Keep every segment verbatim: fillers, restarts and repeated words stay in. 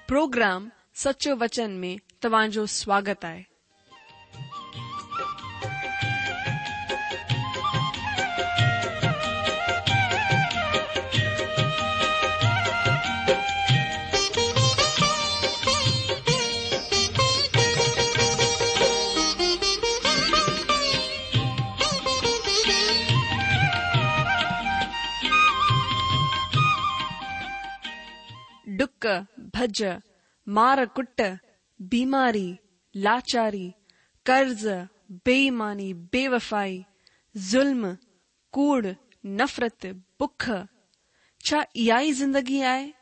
Programme سچو وچن ۾ توهان جو سواگت آهي. ڊڪ، ڀڄ، مار ڪٽ، بيماري، لاچاري، قرض، بي ايماني، بيوفائي، ظلم، ڪوڙ، نفرت، بک. ڇا اها ئي زندگي آهي؟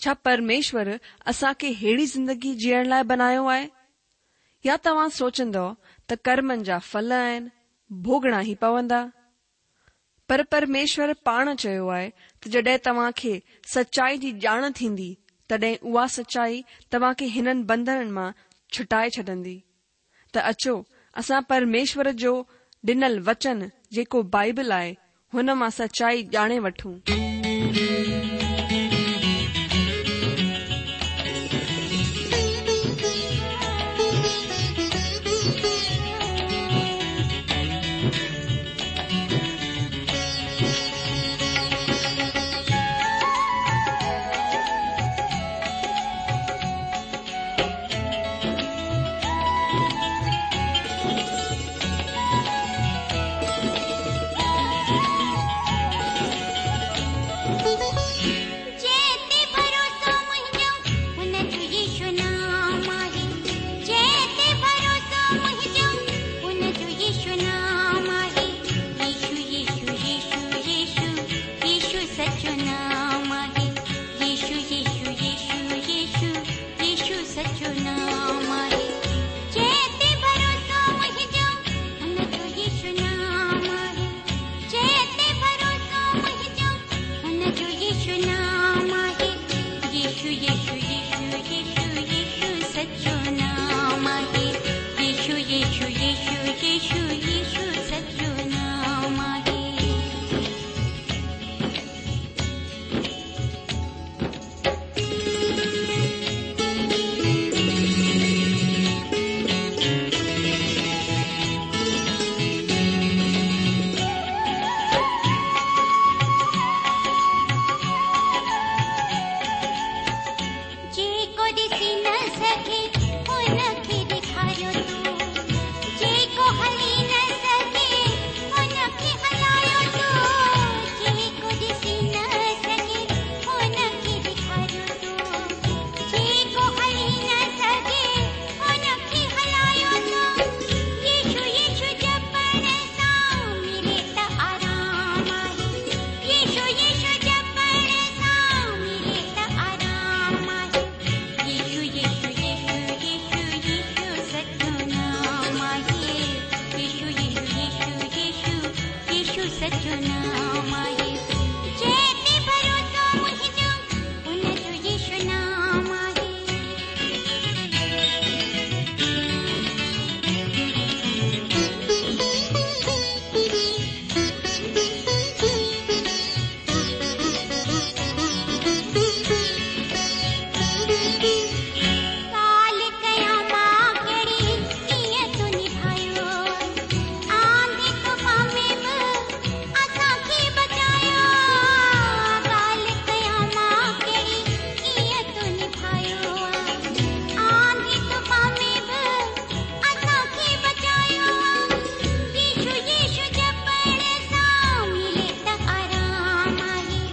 ڇا پرميشور اسان کي ههڙي زندگي جيئڻ لاء بنايو آهي؟ يا توهان سوچندؤ ته ڪرمن جا ڦل آهن، ڀوڳڻا ئي پوندا؟ پر پرميشور پاڻ چيو آهي ته جڏهن توهان کي سچائي جي ڄاڻ ٿيندي، تڏهن اها سچائي توهان کي هنن بنڌنن مان ڇٽائي ڇڏندي. ته اچو اسان پرميشور جو ڏنل وچن جيڪو بائبل آهي، هن مان سچائي ڄاڻي وٺون. جنهن تي ڀروسو منهنجو هن جو يسوع نام آهي. جنهن تي ڀروسو منهنجو هن جو يسوع نام آهي. يسوع يسوع يسوع يسوع يسوع سچو نام آهي. يسوع يسوع يسوع يسوع يسوع سچو نام آهي. جنهن تي ڀروسو منهنجو هن جو يسوع نام آهي. جنهن تي ڀروسو منهنجو هن جو يسوع نام آهي. يسوع يسوع يسوع يسوع يسوع سچو نام آهي. يسوع يسوع يسوع يسوع يسوع سچو نام آهي. جيڪو ڏسي نه سگهي هن کي ڏيکاريو تون. جيڪو هلي نه سگهي هن کي هلايو تون. جيڪو ڏسي نه سگهي هن کي ڏيکاريو تون. جيڪو هلي نه سگهي هن کي هلايو تون. يسوع يسوع جپڻ سان ملي ته آرام آهي. يسوع يسوع جپڻ سان ملي ته آرام آهي. يسوع يسوع يسوع يسوع يسوع سچو نام آهي. يسوع يسوع يسوع يسوع يسوع سچو نام آهي. جنهن تي ڀروسو منهنجو هن جو يسوع نام آهي. ڳالهه ڪيان مان ڪهڙي ڪيئن تو نڀايو. آنڌي طوفان ۾ به اسان کي بچايو. ڳالهه ڪيان مان ڪهڙي ڪيئن تو نڀايو. آنڌي طوفان ۾ به اسان کي بچايو. يسوع يسوع جپڻ سان ملي ته آرام آهي.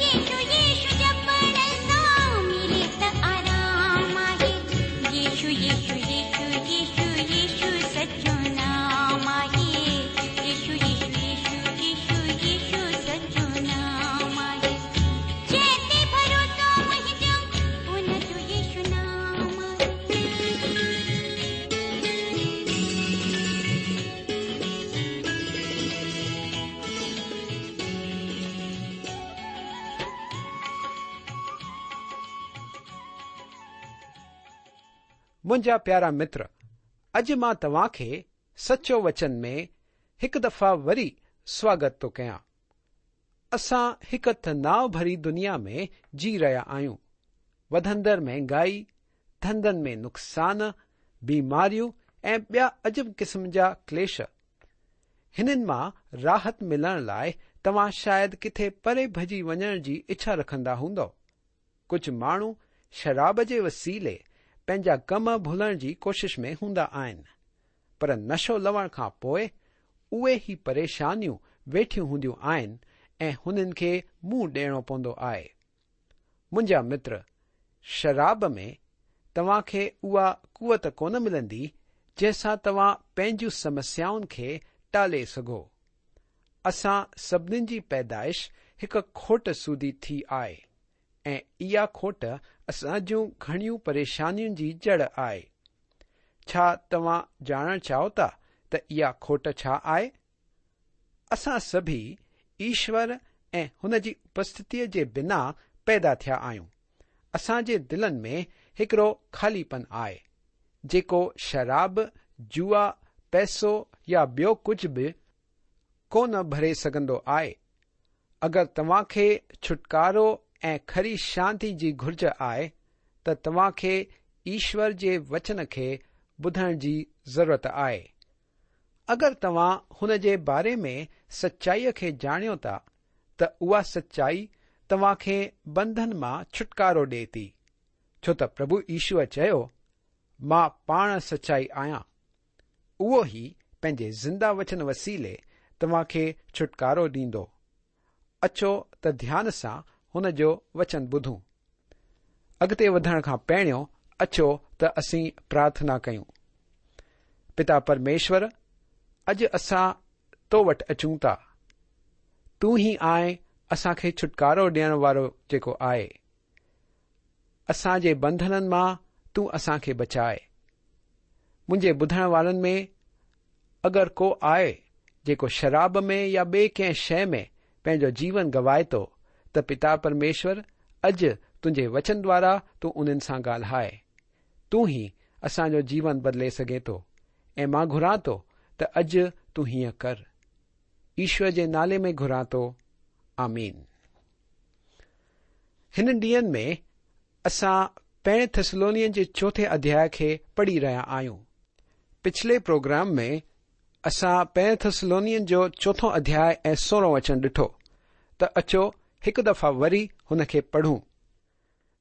يسوع يسوع جپڻ سان ملي ته آرام آهي. يسوع يسوع يسوع يسوع يسوع سچو نام آهي. يسوع يسوع يسوع يسوع يسوع سچو نام آهي. جنهن تي ڀروسو منهنجو هن جو يسوع نام آهي. منهنجا پيارا متر، اڄ مان توهان کي سچو وچن ۾ هڪ دفعا وري سواگت ٿو ڪيان. اسان هڪ تناءُ ڀري دنيا ۾ جي رهيا آهيون. وڌندڙ مهنگائي، ڌنڌن ۾ نقصان، بيماريون ۽ ٻيا عجب قسم جا ڪليش. هنن مان راحت ملڻ لاءِ توهان شايد ڪٿي پري ڀڄي وڃڻ جي اڇا رکندا هوندؤ. ڪجهه ماڻهو شراب جي وسيلي پنهنجا غم ڀلڻ جي ڪوشش ۾ هوندا آهن، پر نشو لهڻ کان پوءِ اهي ئي پريشانيون ويٺيون هونديون آهن ۽ هنن کي منهن ڏيڻو پوندو آهي. منهنجا متر، شراب ۾ توهان کي اها قوت ڪونه ملندي جنهن سان توهان پنهنجون سمسيائن کي ٽالي سگهو. اسان سڀنين جي پيدائش هڪ کوٽ سوڌي ٿي آهي ۽ اها کوٽ اسان جون گهڻيون پريشانين جي جڙ آهي. ڇا توهان ڄاڻڻ چاهيو ٿا ته اها کوٽ ڇا آهي؟ اسان سڀئي ايشور ۽ هن جي اپسٿتيءَ جي بنا پيدا ٿيا آهيون. اسان جي دلن ۾ هڪڙو خاليپن آهي، جيڪو شراب، جوا، پئسو يا ٻيو ڪجهه به ڪونه ڀري سگهندو آهي. اگر توهان کي ڇوٽڪارو ۽ کري شانتي جي گهرج آهي ته توهان کي ايشور جي وچن کي ٻڌڻ جي ضرورت آهي. اگر توهان هن جي باري ۾ سچائيءَ کي ڄاڻيو ٿا ته اها سچائي توهان کي بنڌن مان ڇوٽڪارو ڏئي ٿي، ڇو ته پرڀو يشوءَ چيو، مان پاڻ سچائي آهيان. اهو ئي پنهنجي زنده وچن وسيلي توهان کي ڇوٽڪارو ڏيندو. اچو ته ڌيان سان هن جو وچن ٻڌون. اڳتي وڌڻ کان پهريون اچو ته اسين پرارٿنا ڪيون. پتا پرميشور، اڄ اسان تو وٽ اچون ٿا. تون ئي آهين اسان کي ڇوٽڪارو ڏيڻ وارو جيڪو آهي. اسان جي بنڌنن مان تون اسان کي بچائي. منهنجي ٻڌڻ وارن ۾ اگر ڪو آهي جيڪو شراب ۾ يا ٻئي ڪنهن شيءِ ۾ پنهنجو جيون گوائي ٿو ته پتا پرميشور، اڄ تنهنجي وچن دوارا تون انهن سان ڳالهائي. تون ئي اسان جو جيون بدلي سگهين ٿو ۽ مان گهران ٿو ته اڄ تون هيئن ڪر. ايشور جي نالي ۾ گهران ٿو، آمين. هنن ڏينهن ۾ اسان پهرين ٿيسلونين جي چوٿين اڌياءِ کي پڙهي رهيا آهيون. پڇلي پروگرام ۾ اسان پهرين ٿيسلونين جو چوٿون اڌياءِ ۽ سورهون وچن ڏٺو ته اچو هڪ دفعا وري هن کي پڙهون.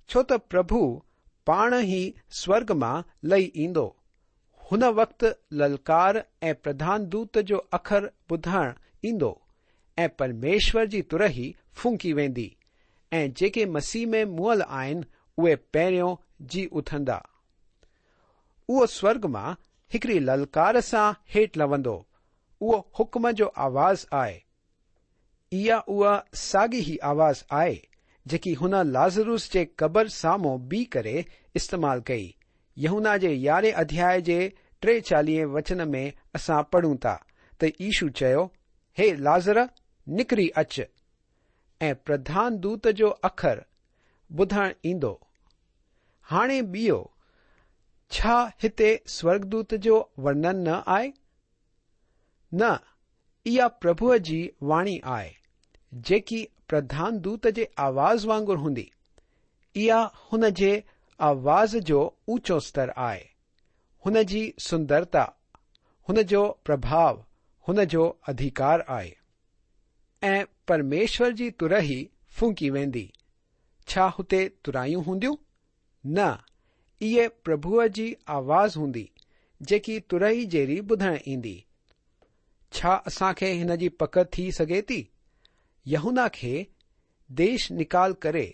ڇو ته پرڀو پاڻ ئي سورڳ مان لهي ايندو. هن وقت للڪار ۽ پرڌان دوت جو اکر ٻڌڻ ايندو ۽ پرميشور جي ترهي ڦونڪي ويندي ۽ جيڪي مسيح ۾ مئل آهن اهي پهريون جي اٿندا. اهو سورڳ مان هڪڙي للڪار سان هيٺ لهندو. اهو حڪم جو آواز آهي. اها اها ساڳي ئي آواز آهي جيڪي هن لازروس جي قبر سامهون بيهي ڪري استعمال ڪئي. يوحنا جي يارهين اڌياءِ جي ٽي چاليهه وچن ۾ اسان پڙهون ٿا ته يشو چيو، هي لازر، نڪري اچ. ۽ پرڌان دوت جو اکر ٻڌڻ ايندو. هاڻي ٻيو ڇا هتي سورڳدوت جو ورڻن نه آهي؟ نه، اها پرڀوءَ جي واڻي آهي جيڪي پرڌان دوت جي آواز وانگر هوندي. اها هن جي آواز جو اوچو ستر آهي. هن جي سندرتا، هن جو پرڀاو، هن جو اڌڪار آهي. ۽ پرميشور جي ترهي ڦونڪي ويندي. ڇا هتي ترايون هونديون؟ نه، اهي پرڀوءَ جي آواز هوندي جيڪي ترهي جهڙي ٻڌڻ ايندي. ڇا اسان کي هن جي پڪ ٿي سگهي ٿي؟ يوحنا کي ديش نڪال ڪري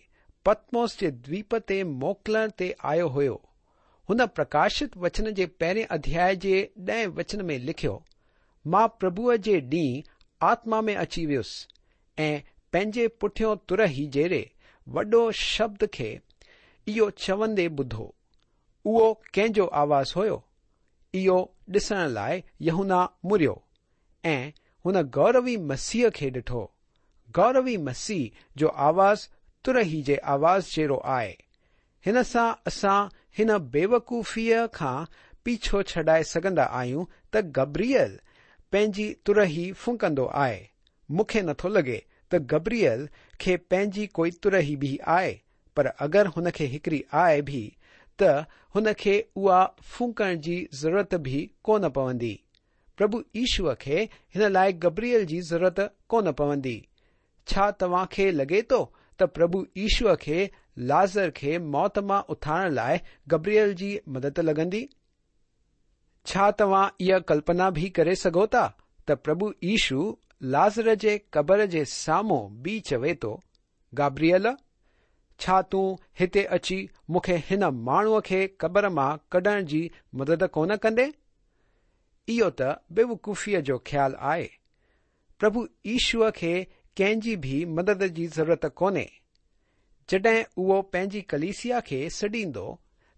پتموس جي دويپ تي موڪلڻ تي آيو هيو. هن پرڪاشت وچن جي پهرين اڌياءِ جي ڏهين وچن ۾ لکيو، مان پرڀوءَ جي ڏينهن آتما ۾ اچي ويس ۽ پنهنجي پٺيون ترهي جهڙي وڏو شبد کي اهو چوندي ٻڌو. اهو ڪنهن جو آواز هيو؟ اهو ڏسڻ لاءِ يوحنا مڙيو ۽ هن گوروي مسيح کي ڏٺو. گوروي مسيح جو آواز ترهي جي آواز جهڙو آهي. هن سان اسان هن بيوقوفيءَ کان پيڇو ڇڏائي سگهندا آهيون ته گبريل پنهنجي ترهي ڦونڪندو آهي. مون کي نٿو لڳي ته گبريل کي پنهنجي ڪوئي ترهي به آهي، پر اگر هن کي هڪڙي آهي به ته هن کي اها ڦونڪڻ جي ضرورت به ڪونه پوندي. پرڀو يشوء کي هن لاءِ گبريل جي ضرورت ڪونه پوندي. ڇا توهان کي لڳي ٿو ته پرڀو يشوء کي لازر کي موت مان اٿارڻ لاءِ گبريل جي مدد لڳندي؟ ڇا توهان اها ڪلپنا به ڪري سگهو ٿا ته پرڀو يشو لازر جي قبر جي سامهون به چوي ٿو، گابريل، ڇا تون هتي اچي مون کي هن ماڻهوءَ کي قبر مان ڪڍڻ جي مدد ڪونه ڪندي؟ اهو ته بيوقوفيءَ جو خيال آهي. پرڀو يشوءَ کي ڪنهن جي به مدد جي ضرورت ڪونهي. جڏهن اهو پنهنجي ڪليسيا کي سڏيندو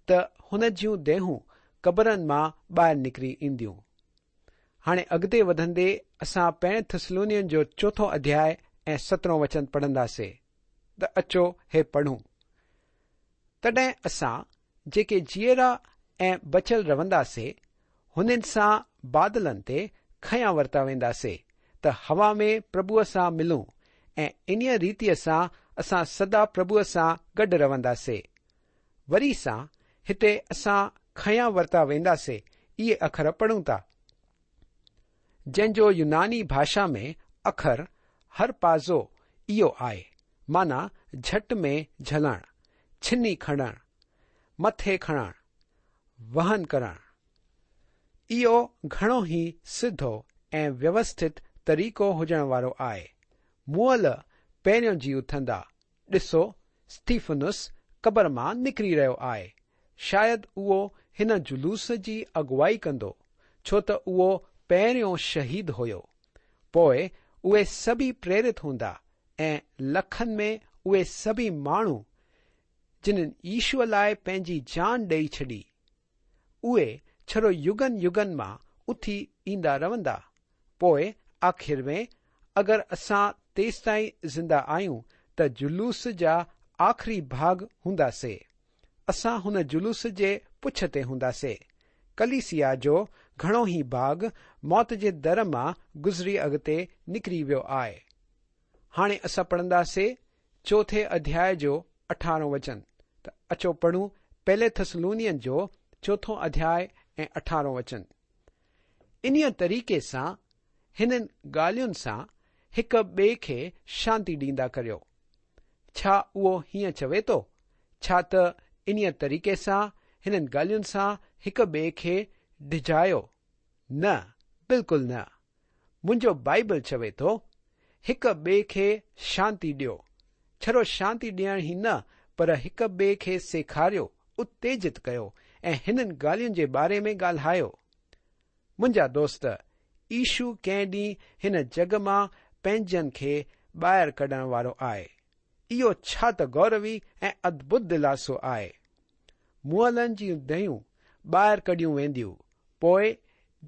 ته هن جون ديهون قبرن مان ٻاهر نڪري اينديون. هاڻي اڳتي وڌندي اسان پهرين ٿسلونين جو چوٿون اڌياءِ ۽ سترهون وچن پڙهنداسين. ته اچو هي پڙهون. تڏهن اسان جيڪي جيئرا ۽ بچيل رهنداسين هنن سان بادلن تي کنيا ورتا وينداسين ته هوا ۾ پرڀوءَ سان ملون ۽ انهيءَ ريتيءَ سان اسان سدا پرڀوءَ سان گڏ رهنداسين. وري سان هتي اسان کنيا ورتا وينداسين اهي اکر پڙهون ٿا، جنهن جو يوناني ڀاشا ۾ اکر هرپازو اهو آهي، معنيٰ جهٽ ۾ جهلڻ، ڇني کڻڻ، مٿي کڻڻ، وهن ڪرڻ. اهو گهڻو ئي سڌو ۽ ويوسٿت طريقو هجڻ وارو آهي. مئل پهريون جي اٿندا. ڏسو، اسٽيفنس قبر مان نڪري رهيو آهي. شايد اهو هن جلوس جي اڳواڻي ڪندو، ڇو ته اهو پهريون شهيد هيو. پوءِ اهي سڀئي پريرت هوندا ۽ لکن ۾ اهي سڀئي ماڻهو جن يشوءَ لاءِ پنهنجي جان ڏيئي ڇڏي، اهي ڇڙو يگن يگن مان اٿي ايندا رهندا. پوءِ آخر ۾ اگر اسان تيستائين زنده آهيون ته جلوس جا آخري ڀاڳ هونداسين. اسان هن جلوس جي پڇ تي هونداسين. ڪليسيا جو گهڻو ئي ڀاڳ موت جي در مان گذري اڳتي نڪري ويو آهي. هاڻي اسان پڙهنداسين چوٿين اڌياءِ جو اٺارهون وچن. ته اچو پڙهون پهلي ٿسلونين جو چوٿون اڌياءِ ۽ اٺارهون وچن. انهيءَ طريقي سان هنن ڳالهين سان هڪ ٻئي کي شانتي ڏيندا ڪريو. ڇا اهو هيئن چوي ٿو؟ ڇا ته انهيءَ طريقي سان هنن ڳالهين سان هڪ ٻئي کي ڊڄايو؟ نه، بلڪل نه. منهنجو بائيبل چوي ٿو هڪ ٻئي کي شانتي ڏيو. ڇڙو شانتي ڏيڻ ئي نه، پر هڪ ٻئي کي سيکاريو، اتيجت ڪيو ۽ هنن ڳالهين جي باري ۾ ڳالهايو. منهنجا دوست، يشو ڪنهن ڏينهن هن جڳ مان پنهنجن کي ٻاهر ڪڍڻ وارو آهي. اهو ڇا ته گوروي ۽ ادڀت دلاسو آهي. مئلن جون ديهون ٻاهر ڪڍيون وينديون. پوءِ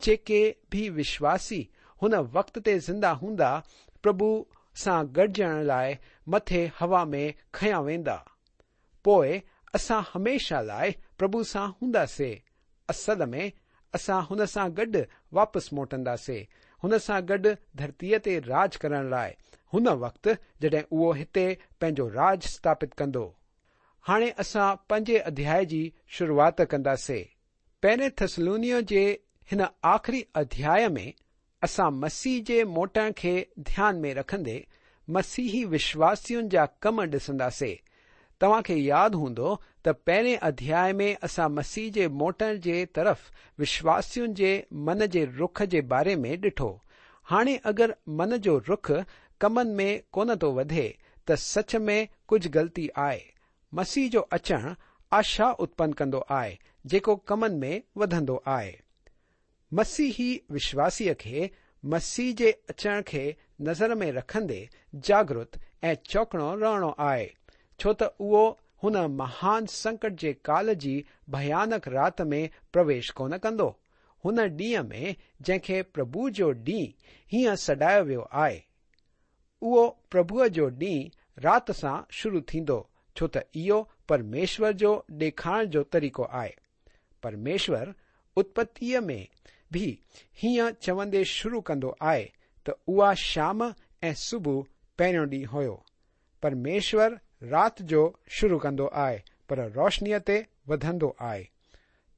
جيڪي به وشواسي هن وقت تي زنده هوندا پرڀو سان گڏجڻ لاءِ مٿي هوا ۾ کنيا ويندا. پوءِ اسان هميشه لاءِ پرڀو سان هونداسين. اصل ۾ اسان هن سان گڏ واپس موٽنداسين، هن سان گڏ ڌرتيءَ تي راڄ ڪرڻ لاءِ، هن وقت جڏهن اهو هتي پنهنجو راڄ اسٿاپت ڪندو. هاڻي اسان پنجين اڌياءِ جي شروعات ڪنداسين. پهرين ٿسلونيءَ جي هن آخري اڌياءِ ۾ اسان مسيح جي موٽڻ کي ڌيان ۾ رکندي مسيحي وشواسين جا ڪم ڏسنداسين. توهان کي ياد هوندو ته پهرين اڌياءِ ۾ اسان مسيح جي موٽڻ جي طرف وشواسين جي من جي رخ جي باري ۾ ڏٺو. هاڻي اگر من جو رخ ڪمن ۾ ڪونه ٿو وڌي ته سچ ۾ ڪجهه غلطي آهي. مسيح جو اچڻ آشا اتپن ڪندو آهي جيڪو ڪمن ۾ وڌندو آهي. مسيحي وشواسيءَ کي مسيح جي اچڻ کي نظر ۾ رکندي جاگرت ۽ چوڪڻو رهڻو آهي، ڇو ته اهو هن مهان سنڪٽ جي ڪال جي ڀيانڪ رات ۾ پرويش ڪونه ڪندو. هن ڏينهن ۾ جنهن کي پرڀو جو ڏينهن هيئن سڏايو ويو آهي، اهو پرڀوءَ جو ڏينهن رات سان شروع ٿيندو، ڇو ته اهو پرميشور جو ڏيکارڻ جو طريقو آهي. پرميشور اتپتيءَ ۾ به هيئن چوندي شروع ڪندو آهي ته اها شام ۽ صبح پهريون ڏينهن هيو. پرميشور رات جو شروع ڪندو آهي، پر روشنيء تي وڌندو آهي.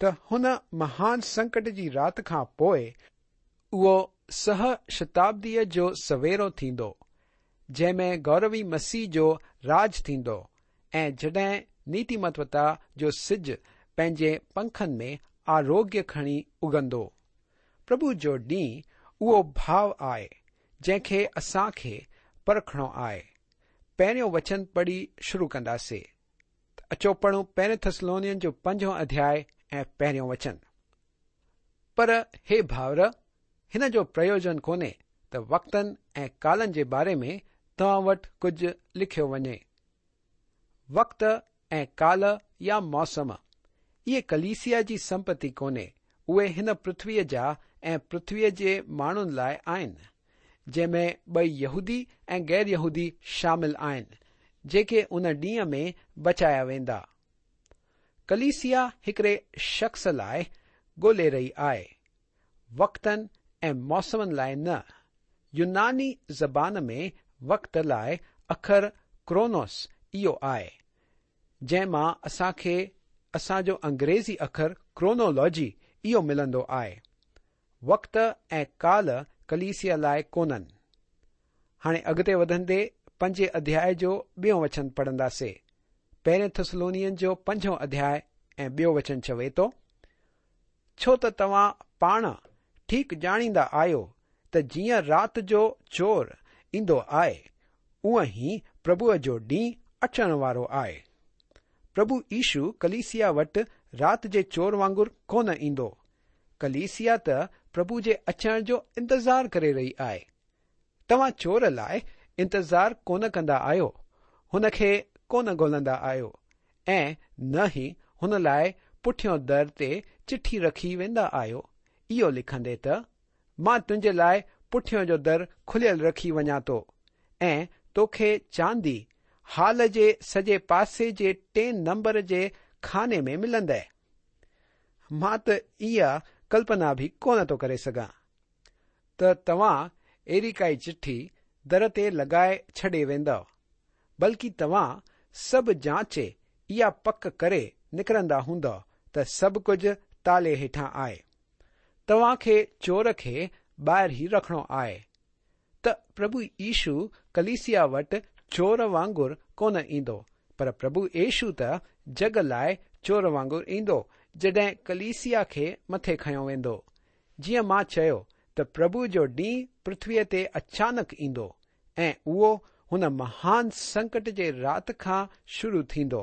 ته هن مهان سنڪٽ جي رات کان پوءِ اهو سهه شتابديء جو سويرو ٿيندو، جنهن ۾ گوروي مسيح جو راڄ ٿيندو ۽ جڏهن نيتيمتوتا جو سج پنهنجي پنکن ۾ آروگيه کڻي اگندو. پرڀو جو ڏينهن اهو ڀاو آهي جنهن کي اسان کي پرکڻو آهي. پهريون وچن پڙهي شروع ڪنداسين. اچو پڙهون پهرين ٿسلونين جو پنجون اڌياء ۽ پهريون وچن. پر هي ڀائر، هن جو پريوجن ڪونهي ته وقتن ۽ ڪالن جي باري ۾ توهان وٽ ڪجهه لکيو وڃي. وقت ۽ ڪال يا موسم اهي ڪليسيا جي سمپتي ڪونهي، اهي هن پرٿويءَ جا ۽ پرٿويءَ جي ماڻهن لاءِ آهن، جنهن ۾ ٻئي يهودي ۽ غير يهودي شامل آهن، جيڪي ان ڏينهن ۾ بچايا ويندا. ڪليسيا هڪڙي شخص لاءِ ڳولي رهي آهي، وقتن ۽ موسمن لاءِ نه. يوناني زبان ۾ وقت لاءِ اکر ڪرونوس اهو آهي، جنهن مان اسان کي اسان جو انگريزي اکر ڪرونولاجي اهو ملندو آهي. وقت ۽ ڪال ڪليسيا لاءِ ڪونهن. هاڻي اڳتي وڌندي پنجين اڌياءِ جو ٻيون وچن پڙهنداسين. پهرين ٿسلونين جو پنجون اڌياء ۽ ٻيو وچن چوي ٿو، ڇو ته توهان پاڻ ٺيڪ ڄاڻيندا آهيو ته جيئن رات جو چور ايندو آهي، اونئن ئي پرڀوءَ جو ڏينهن اچڻ وارو آهي. پرڀو يشو ڪليسيا وٽ رات جي چور وانگر ڪونه ايندو. ڪليسيا ته پرڀو جي اچڻ جو انتظار ڪري رهي آهي. توهان چور لاءِ انتظار ڪونه ڪندا آهيو، هن کي ڪونه ڳولهندا آهيو ۽ نه ئي هن لاءِ پٺيون در تي چٺي رکي ويندا آهيو، اهو لکندي ته مان تنهنجي لاءِ پٺيون جو در کليل رکي وڃان ٿو ۽ توکي چاندي هال جي سڄي پاسي جي ٽئين نمبر جي خاني ۾ ملندي. مان ته اها ڪلپنا به ڪونه ٿو ڪري سگهان ته توهان اهڙي ڪائي چٺي در تي لڳائي ڇڏي ويندؤ، بلڪه توهان سڀ جاچي اها پڪ ڪري نڪرندا هوندؤ ته سڀ ڪجهه تالي هيٺان آهي. توهان کي چور کي ٻاهر ئي رکڻو آهي. ته پرڀو يشو ڪليسيا وٽ چور وانگر ڪونه ايندو، پر پرڀو يشو ته جڳ لاءِ چور وانگر ايندو، جڏهن ڪليسيا کي مٿي کنيو ويندو. جيئن مان چيو ته پرڀو جو ڏينهن پرٿويءَ تي اچانڪ ايندو ۽ اهو هن مهان سنڪٽ جي رات کان شروع ٿيندو.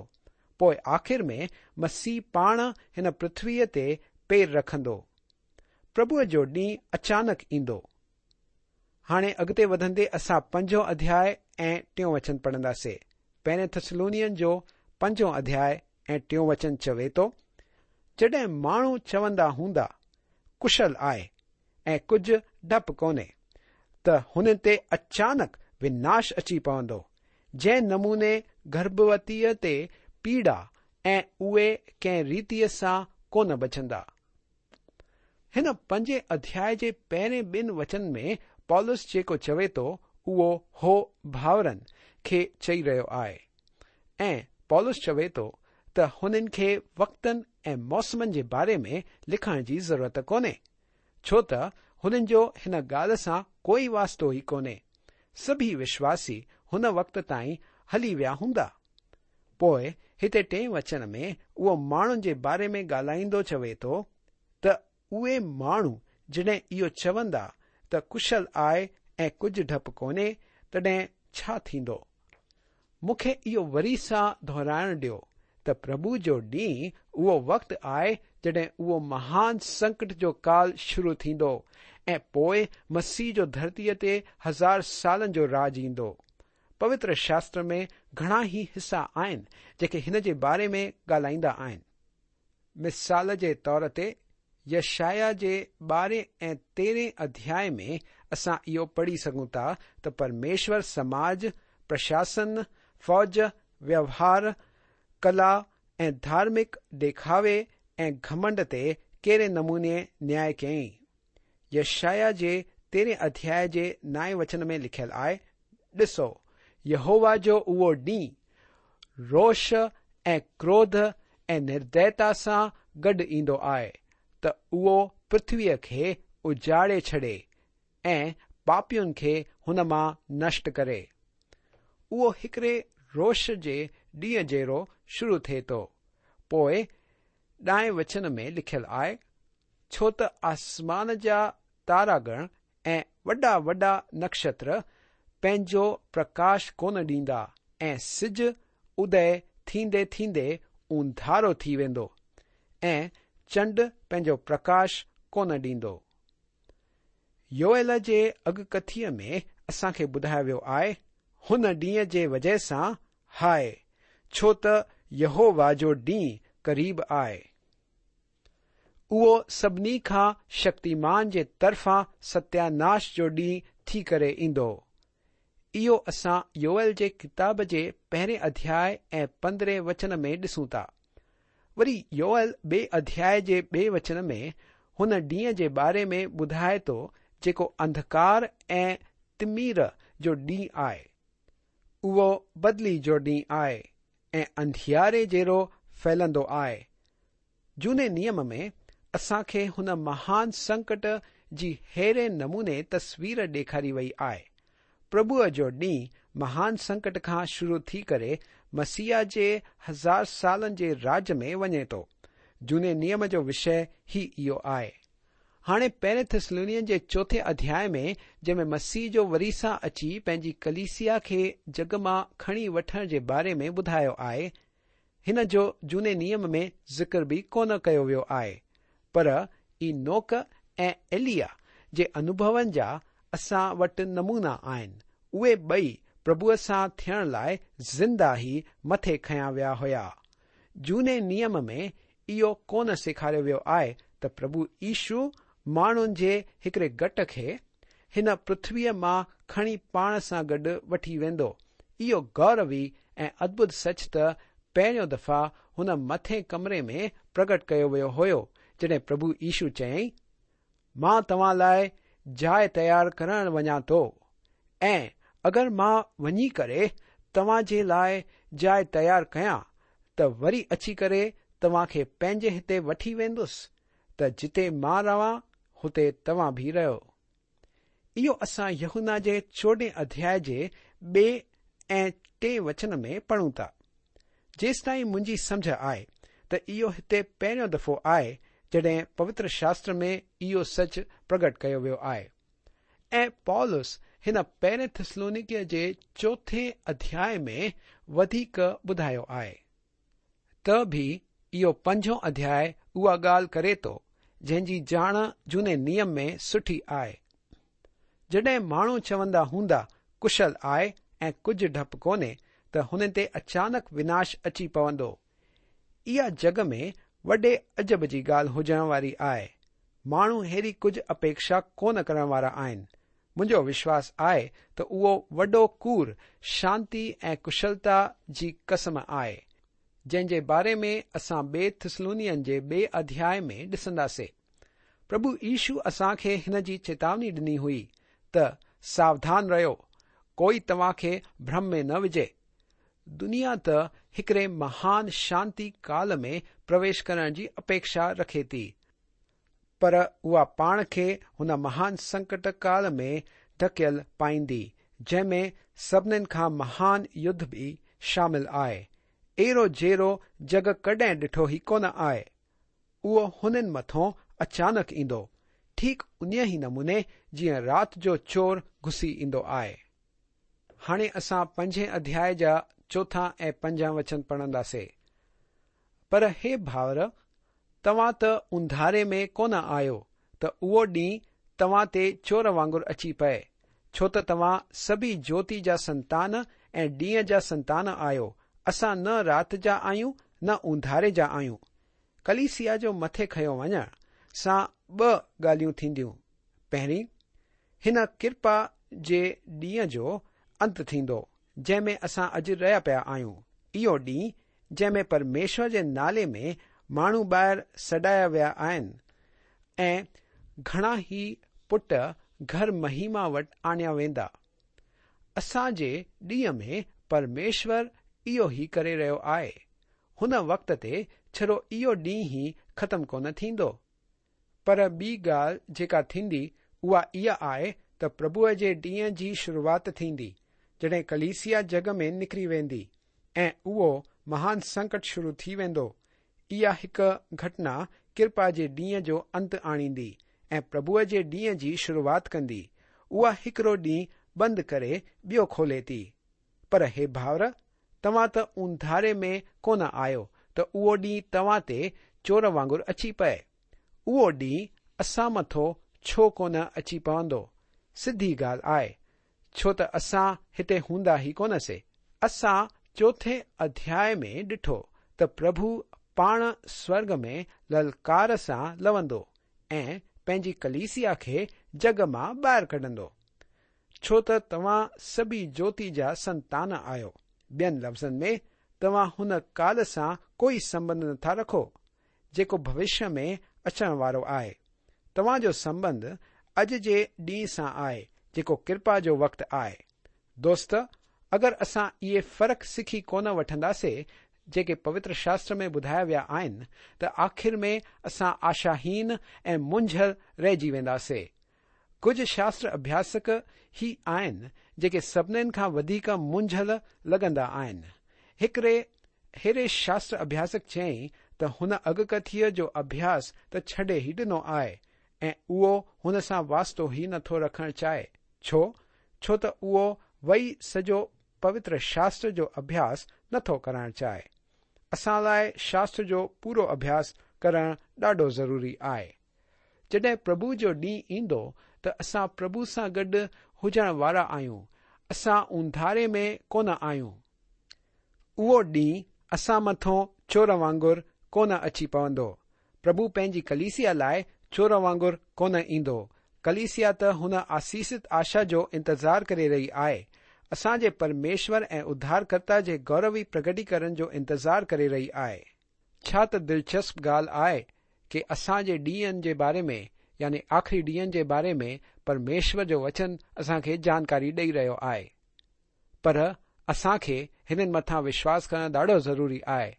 پوءِ آخر ۾ مسيح پاڻ هن پرٿويءَ تي پير رکندو. پرڀوءَ جو ڏينهن اچانڪ ايندو. هاڻي اڳتي وڌندي اسان پنجون اڌياء ۽ ٽيون وچن پڙهنداسين. پهرين ٿسلونين جو پنجون اڌياء ۽ ٽيون وچن چوي ٿو، جڏهن ماڻهو چوندا هوندا ڪشل آهي ۽ ڪجهه ڊپ ڪونهي، ته هن تي اچانڪ وناش اچي پوندو، جنهن نموني گرڀوتيءَ تي پيڙا، ۽ اهي ڪنهن ريتيءَ سان ڪونه بچندا. هن پنجين اڌياءِ جي پهرين ٻن وچن ۾ پولس جيڪو چوي ٿو اهو هو ڀائرن کي چئي رهيو آهي ۽ پولس چوي ٿو ته هنن کي وقتن ۽ موسمن جي باري ۾ لکڻ جي ضرورت ڪونهي، ڇو ته هنن جو هن ڳالهه سان ڪوئي واسطو ئي ڪونهي. سڀئي وشواسي هن وقت تائين هلي ويا هوندا. پوءِ هتي ٽئين وچن ۾ اهو ماڻهن جي باري ۾ ڳالهائيندو چوي ٿو ته اهي ماڻهو جڏهن اهو چوندا ته ڪشل آهي ۽ ڪجهه ڊپ ڪونهي، تڏهن ڇا ٿيندو؟ مون کي اهو وري سان دهرائڻ ڏيو ته پرڀو جو ڏينهن اهو وقت آهي جڏهن اهو مهان سنڪٽ جو ڪال شروع ٿيندو ۽ پوءِ مسيح جو ڌرتيءَ تي هزار سالن جو راڄ ايندو. پوتر شاستر ۾ گهڻا ئي حصا آهن جيڪي هن جي باري ۾ ڳالهائيندا آهن. مثال جي طور تي يشايا جي ٻارهين ۽ تيرهين اڌياءِ ۾ اسان اهو پڙهي سگهون ٿا ته پرميشور سماج، پرشاسن، فوج، ويوهار، ڪلا ۽ ڌارمڪ ڏيکاوي ۽ گهمنڊ تي ڪهڙي نموني نياءُ ڪيائين. يشايا جي تيرهين اڌياءِ جي نائين وچن ۾ لکيل آهي، ڏسو، يهووا جو اهو ڏينهن روش ۽ ڪروڌ ۽ نردئتا سان گڏ ايندو آهي ته اهو پرٿويءَ کي اجاڙي ڇڏي ۽ پاپين کي هن مان نشٽ ڪري. اهو هڪڙي روش جي ڏينهن جهڙو شروع ٿئي ٿو. پوءِ ڏهين وچن ۾ لکيل آهي، ڇو ته آسمان جا تاراگڻ ۽ وڏا وڏا نڪشتر پنهنجو پرڪاش ڪونه ڏيندا ۽ سج ادي ٿيندي ٿيندي اونڌارو ٿي ويندو ۽ چنڊ پنهنجو پرڪاش ڪونه ڏيندو. يوئيل جي اڳڪٿيءَ ۾ اسان کي ٻڌايو ويو آهي، هن ڏينهن جي وجهه سان هاءِ، ڇو ته يهووا جو ڏينهن قريب آهي. اهو سڀني کان شڪتيمان جي طرفان ستياناش جو ڏينهن ٿي ڪري ايندو. اهو اسان يوئيل جي ڪتاب جي پهرين اڌياءِ ۽ پندرهين وچن ۾ ڏسون ٿا. وري يوئيل ٻئي اڌياءِ جي ٻئي وچن ۾ هن ڏينهن جي باري ۾ ٻڌائي ٿو جيڪو انڌڪار ۽ تمر جو ڏينهن آهي. اهو بدلي جو ڏينهن آهي ۽ انڌياري جهڙو ڦهلندو آهي. جهوني نيم ۾ اسان کي هن مهان سنڪٽ جي ههڙي نموني تصوير ڏيکاري وئي آهي. پرڀوءَ جو ڏينهن مهان سنڪٽ کان شروع ٿي ڪري مسيح جي هزار سالن جي راڄ ۾ وڃي ٿو. جهوني نيم جو وشيه ئي اهو آهي. هاڻي پهرين ٿيسلونين جي چوٿين اڌياءِ ۾ جنهن ۾ مسيح جو وري سان اچي پنهنجي ڪليسيا کي جڳ مان کڻي وٺڻ جي باري ۾ ٻڌايو آهي، هن جو جهوني نيم ۾ ذڪر به ڪونه ڪيو ويو آهي، پر اينوڪ ۽ ايليا جي انڀون جا اسان وٽ نمونا آهن. اهي ٻئي پرڀوءَ سان ٿيڻ لاءِ زنده ئي مٿي کنيا ويا هئا. جهوني نيم ۾ اهو ڪونه سيکاريو ويو آهي ته پرڀو يشو ماڻهن جي هڪڙي گٽ کي هن پرٿويءَ مان کڻي پاڻ سان گڏ وٺي ويندو. اهو گوروي ۽ ادڀت سچ ته پهريون دفعا هن مٿي ڪمري ۾ پرگٽ ڪيو ويو هيو، جڏهن پرڀو يشو چيائين، مان توهان لاءِ جاءِ تيار ڪرڻ وڃان ٿو ۽ اگر مان وڃي ڪري توهان جي لاءِ جاءِ تيار ڪيان ته وري اچي ڪري توهان کي پنهنجي هتي وٺي ويندس، ته جتي مان رهان هتي توهان به رهو. اهو اسان يوحنا جي چوڏهين اڌياءِ جي ٻئي ۽ ٽئين وچن ۾ پڙهون ٿا. جيستائين منهنجي سمجهه آهي ته اهو هتي پهريون دفعو آهي جڏهن پوتر شاستر ۾ اهو سچ پرگٽ ڪيو ويو آهي. ۽ پولس هن پهرين ٿيسلونيڪيءَ جي چوٿين اڌياءِ ۾ وڌيڪ ٻڌايو آهي. ته به اهو پنجون اڌياءِ اها ڳالهه ڪري ٿو جنهن جي ڄاڻ جهوني نيم ۾ سٺي آهي. جڏهن ماڻهو چوندا هوندا ڪشل آهي ۽ ڪجهه ڊپ ڪونهي، ته هنن تي اچانڪ وناش اچي پوندو. اها جڳ ۾ وڏي عجب جي ڳالهه هجڻ واري آهي. ماڻهو ههڙي ڪجهه اپيڪشا ڪونه ڪرڻ وارا آهن. منهنجو وشواس آهي ته اهو وڏو ڪوڙ شانتي ۽ ڪشلتا جي قسم آهي، جنهن جي باري ۾ اسان ٻئي ٿيسلونين جي ٻئي اڌياءِ ۾ ڏسنداسين. پرڀو يشو اسان کي هن جي چيتاوني ڏني هئي ته ساوڌان رهيو، ڪوئي توهان کي ڀرم ۾ نه وجهي. دنيا ته هڪڙي مهان شانتي ڪال ۾ پرويش ڪرڻ جي اپيڪشا رکي ٿي، پر اها پاڻ کي هن مهان سنڪٽ ڪال ۾ ڌڪيل پائيندي، جنهن ۾ سڀنين کان مهان يڌ به شامل آهي، اهڙو جهڙو جڳ ڪڏهن ڏٺو ئي ڪونه آهي. اهو هنن مٿان اچانڪ ايندو، ٺيڪ انهيءَ ئي نموني جيئن رات جو چور گهسي ايندو آهي. هاڻي اسان پنجين اڌياءِ جا چوٿان ۽ پنجان وچن پڙهنداسين. پر هي ڀائر، توهان ته انڌاري ۾ ڪونه آهيو ته اهو ڏينهن توهان تي چور وانگر اچي پئي، ڇو ته توهان سڀئي جيوتي جا سنتان ۽ ڏينهن جا سنتان آهيو. اسان نه رات جا آهيون نه انڌاري جا آهيون. ڪليسيا جو مٿي کنيو وڃڻ سان ٻه ڳالهيون ٿينديون. پهرين، هن ڪرپا جي ڏينهن جو انت ٿيندو جنهن ۾ اسان اڄ رهيا پيا آهيون. اهو ڏينهن جنهن ۾ پرميشور جي نالي ۾ ماڻهو ٻاهر سڏايا ويا آهن ۽ گهڻا ئي پٽ گهر مهما وٽ آڻيا ويندا. اسان جي ڏينهن ۾ پرميشور اهو ئي ڪري رهيو آهي. هن وقت تي ڇڙو اهو ڏينهن ئي ختم ڪونه ٿيندو. پر ٻي ڳالهه جيڪا ٿيندي اها اها آهي ته پرڀوءَ جي ڏينهن جي شروعات ٿيندي، جڏهن ڪليسيا جڳ ۾ نڪري ويندي ۽ اهو مهان سنڪٽ شروع ٿي ويندو. اها هڪ گهٽنا ڪرپا جي ڏينهن جو انت آڻيندي ۽ پرڀوءَ جي ڏينهن جي شروعات ڪندي. اها هڪڙو ڏينهن بند ڪري ٻيو کولي ٿي. پر هي ڀائر، توهان ته اونڌاري ۾ ڪونه آهيو ته اهو ڏينهن توهان تي چور وانگر اچي پئي. اهو ڏينهن اسان مٿو ڇو ڪونه اچي پوندو؟ سڌي ڳالهه آهي، ڇو ته اسان هتي هوندا ئي ڪونه سي. اسان چوٿين اڌياءِ ۾ ڏٺو ته پرڀو پاڻ سورڳ ۾ للڪار سان لوندو ۽ پنهنجي ڪليسيا کي جڳ مان ٻاهر ڪڍندو. ڇو ته توهان سڀئي جوتي جا سنتان آهيو. ٻين لفظن ۾ توهان هن ڪال سان ڪوئي سنٻنڌ نٿا رکو جيڪو ڀوشيه ۾ اچڻ وارو آهي. توهان جو سنٻنڌ اڄ جي ڏينهن سان آهي جيڪو ڪرپا جو وقت آهي. دوست، اگر اسان اهي فرق سکي ڪونه وٺنداسي جيڪي پوتر شاستر ۾ ٻڌايا ويا آهن ته آخر ۾ اسان آشاهين ۽ منجهيل رهجي وينداسي. ڪجهه شاستر اڀياسڪ هي آهن جيڪي سڀنين کان وڌيڪ منجهيل لڳندا آهن. هڪڙي ههڙي شاستر اڀياسڪ چيائين ته هن اڳڪٿيءَ جو اڀياس ته ڇڏي ئي ڏنو آهي ۽ اهو هن سان واسطو ئي نٿو رکڻ چاهي. ڇو؟ ڇو ته اهو وئي سڄو پوتر شاستر جو اڀياس نٿو ڪرڻ چاهي. اسان لاءِ شاستر جو پورو اڀياس ڪرڻ ڏاڍو ضروري آهي. جڏهن پرڀو جو ڏينهن ايندو ته اسان پرڀو سان گڏ هجڻ وارا آهيون. اسان اونڌاري ۾ ڪونه آهيون. اهو ڏينهن اسان مٿو چور وانگر ڪونه اچي پوندو. پرڀو پنهنجي ڪليسيا لاءِ چور وانگر ڪونه ايندو. ڪليسيا ته هن آسيست آشا جو انتظار ڪري رهي آهي. اسان جي پرميشور ۽ اڌارڪرتا جي گوروي پرگٽيڪرڻ جو انتظار ڪري رهي آهي. ڇا ته دلچسپ ڳالهه آهي ڪه اسان جي ڏينهن جي باري ۾ يعني آخري ڏينهن جي باري ۾ پرميشور جو وچن اسان کي جانڪاري ڏيئي رهيو آهي. پر اسان کي هنن مٿان وشواس ڪرڻ ڏاڍو ضروري آهي،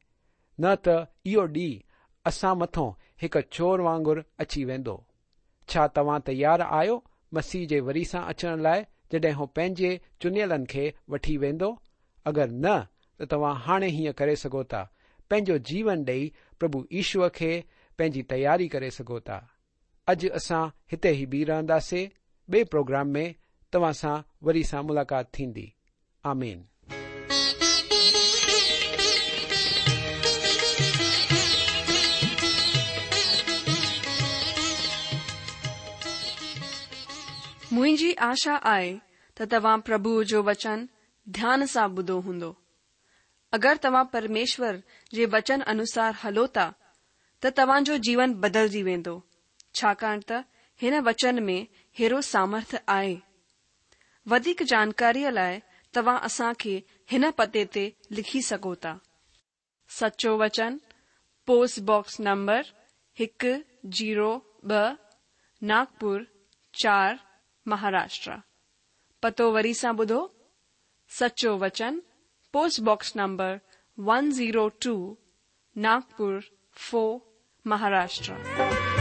نه ته اهو ڏينهن اسان مٿو هڪ چور وانگر اچي ويندو. ڇا توهان تيار آهيو مسيح جي وري سان اچڻ لاءِ جڏهن هو پنهنجي چنيلن کي وٺي ويندو؟ اگر نه ته توهان هاڻي هيئن ڪري سگهو ٿا. پنهنجو جيون ڏيئي پرڀو ايشوءَ کي پنهنجي تياري ڪري سگهو ٿا. اڄ اسان هتي ئي بيهه رهنداسين. ٻئي پروگرام ۾ توهان سان وري سان ملاقات ٿيندي. آمين. منهنجي آشا آهي ته توهان پرڀوءَ جو وچن ڌيان سان ٻڌو هوندو. اگر توهان پرميشور جي وچن انوسار هلو ٿا ته توهان جو جيون بدلجي ويندو، ڇاڪاڻ ته هن وچن ۾ هيرو سامرٿ آهي. وڌيڪ جانڪاريءَ لاءِ توهان اسان کي هن پتي تي لکي سگهو ٿا. سچو وچن، پوسٽ باڪس نمبر هڪ زيرو ٻه، ناگپور چار، مهاراشٽر. پتو وري سان ٻڌو، سچو وچن، post box number one zero two, Nagpur four, Maharashtra.